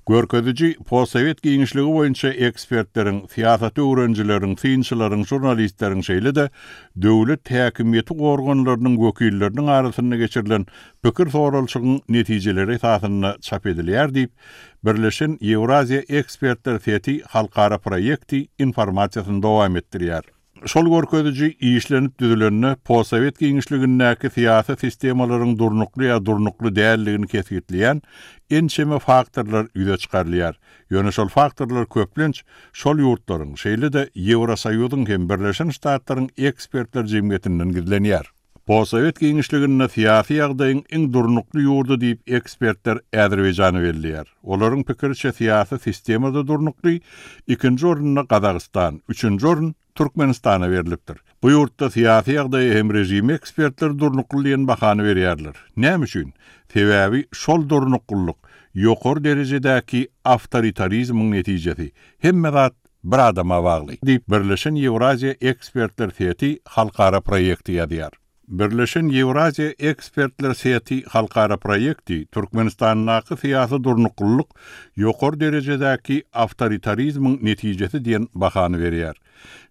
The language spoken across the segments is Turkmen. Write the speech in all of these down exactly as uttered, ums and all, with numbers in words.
Görkeziji postsowet giňişligi boýunça ekspertleriň, syýasaty öwrenijileriň, synçylaryň, žurnalistleriň şeýle-de döwlet häkimiýeti organlarynyň wekilleriniň arasynda geçirilen pikir soralyşygyň netijeleri esasynda çap edilýär diýip, Birleşen Ýewraziýa ekspertler seti halkara proýekti informasiýasyny dowam etdirýär. Şol görkeziji işlenip düzülende postsowet giňişligindäki syýasy sistemalaryň durnukly ýa durnukly däldigini kesgitleýän ençeme faktorlar ýüze çykarylýar. Ýöne şol faktorlar köplenç şol ýurtlaryň, şeýle-de Ýewrosoýuzyň hem Birleşen Ştatlaryň ekspertler jemgyýetinden gizlenýär. Postsowet giňişliginde syýasy ýagdaýyň iň durnukly ýurdy diýip ekspertler Azerbaýjany belleýär. Olaryň pikiriçe syýasy sistemada durnukly, ikinji orunda Gazagystan, üçünji orun Türkmenistana berilipdir. Bu ýurtda syýasy ýagdaýy hem režim ekspertler durnukly diýen bahany berýärler. Näme üçin? Sebäbi şol durnuklylyk ýokary derejedäki awtoritarizmiň netijesi. Hemme zat bir adama bagly. Diýip Birleşen Ýewraziýa ekspertler seti halkara proýekti ýazýar. Birleşen Ýewraziýa ekspertler seti halkara proýekti Türkmenistandaky syýasy durnuklylyk ýokary derejedäki awtoritarizmiň netijesi diýen bahany berýär.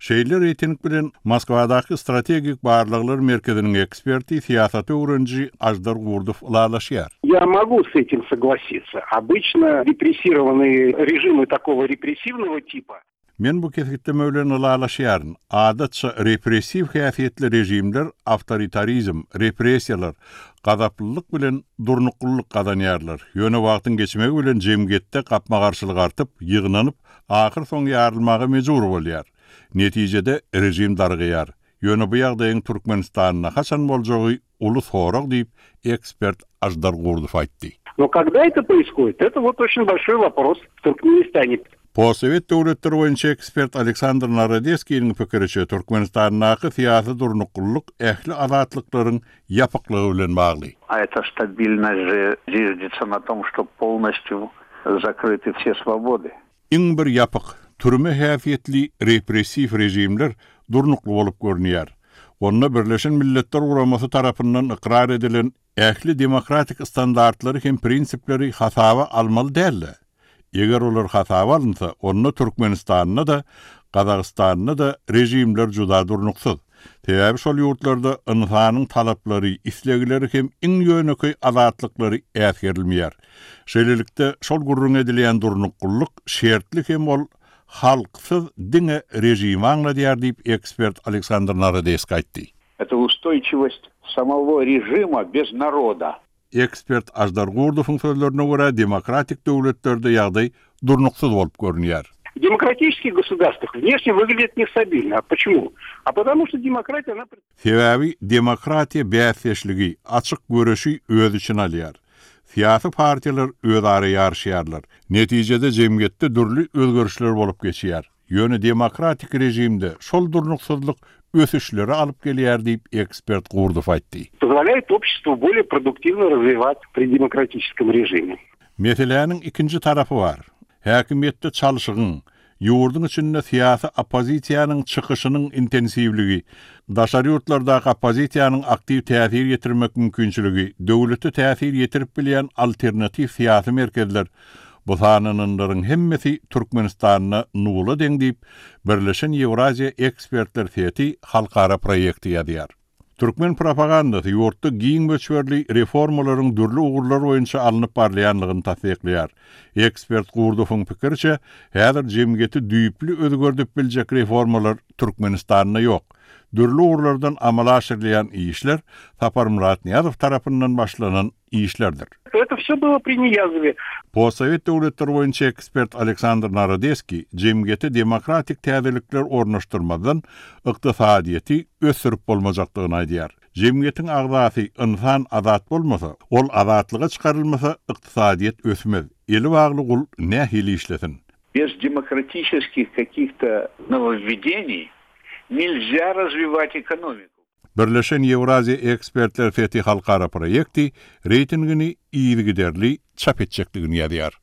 Şeýle reýting bilen Moskwadaky strategik barlaglar merkeziniň eksperti syýasaty öwreniji Aždar Gurdow ylalaşýar. Я могу с этим согласиться. Обычно репрессированные режимы такого репрессивного типа Men bu kesgitleme bilen ylalaşýaryn. Adatça repressiw häsiýetli režimler awtoritarizm, repressiýalar, gazaplylyk bilen durnuklylyk gazanýarlar. Ýöne wagtyň geçmegi bilen jemgyýetde gapma-garşylyk artyp, ýygnanyp, ahyr soň ýarylmaga mejbur bolýar. Netijede rejim dargaýar. Ýöne bu ýagdaýyň Türkmenistanda haçan boljagy uly sorag diýip ekspert Aždar Gurdow aýtdy. Но когда это происходит, это вот очень большой вопрос в Туркменистане. Postsowet döwletleri boýunça ekspert Aleksandr Narodeskiniň pikiriçe Türkmenistandaky syýasy durnuklylyk ähli azatlyklaryň ýapyklygy bilen bagly. А эта стабильность же зиждется на том, что полностью закрыты все свободы. Iň bir ýapyk, türme häsiýetli repressiw rejimler durnukly bolup görünýär. Onda Birleşen Milletler Guramasy tarapyndan ykrar edilen ähli demokratik standartlary hem prinsipleri hasaba almaly däldi. Eger olar hasaba alynsa, onda Türkmenistanda da, Gazagystanda da rejimler juda durnuksyz. Sebäbi şol ýurtlarda ynsanyň talaplary, islegleri hem iň ýönekeý azatlyklary äsgerilmeýär. Şeýlelikde şol gürrüň edilýän durnuklylyk şertli hem ol halksyz diňe rejimi aňladýar diýip ekspert Aleksandr Narodeski aýtdy. Это устойчивость самого режима без народа. Ekspert Aždar Gurdowyň sözlerine görä demokratik döwletlerde ýagdaý durnuksyz bolup görünýär. В демократических государствах внешне выглядит нестабильно. А почему? А потому что демократия, она... Sebäbi demokratiýa bäsdeşligi, açyk göreşi öz içine alýar. Syýasy partiýalar özara ýaryşýarlar. Netijede jemgyýetde dürli özgerişler bolup geçýär. Ýöne demokratik rejimde şol durnuksyzlyk ösüşleri alyp gelýär diýip ekspert Gurdow aýtdy. Позволяет обществу более продуктивно развивать при демократическом режиме. Meseläniň ikinji tarapy bar. Häkimiýetde çalşygyň, ýurduň içinde syýasy oppozisiýanyň çykyşynyň intensiwligi, daşary ýurtlardaky oppozisiýanyň aktiw täsir ýetirmek mümkinçiligi, döwlete täsir ýetirip bilýän alternatiw syýasy merkezler bu sananlaryň hemmesi Türkmenistanda nula deň diýip Birleşen Ýewraziýa ekspertler seti halkara proýekti ýazýar. Türkmen propagandasy ýurtda giň möçberli reformalaryň dürli ugurlar boýunça alnyp barylýanlygyny tassyklaýar. Ekspert Gurdowyň pikiriçe, häzir jemgyýeti düýpli özgerdip biljek reformalar Türkmenistanda ýok. Dürli ugurlardan amala aşyrylýan işler Saparmyrat Nyýazow tarapyndan başlanan işlerdir. Это все было при Ниязове. Postsowet döwletleri boýunça ekspert Aleksandr Narodeski jemgyýete demokratik täzelikler ornaşdyrmadan ykdysadyýeti ösdürip bolmajakdygyny aýdýar. Jemgyýetiň agzasy ynsan azat bolmasa, ol azatlyga çykarylmasa ykdysadyýet ösmez. Eli bagly gul nähili işlesin? Без демократических каких-то нововведений нельзя развивать экономику. Birleşen Ýewraziýa ekspertler seti halkara proýekti reýtingini yzygiderli çap etjekdigini ýazýar.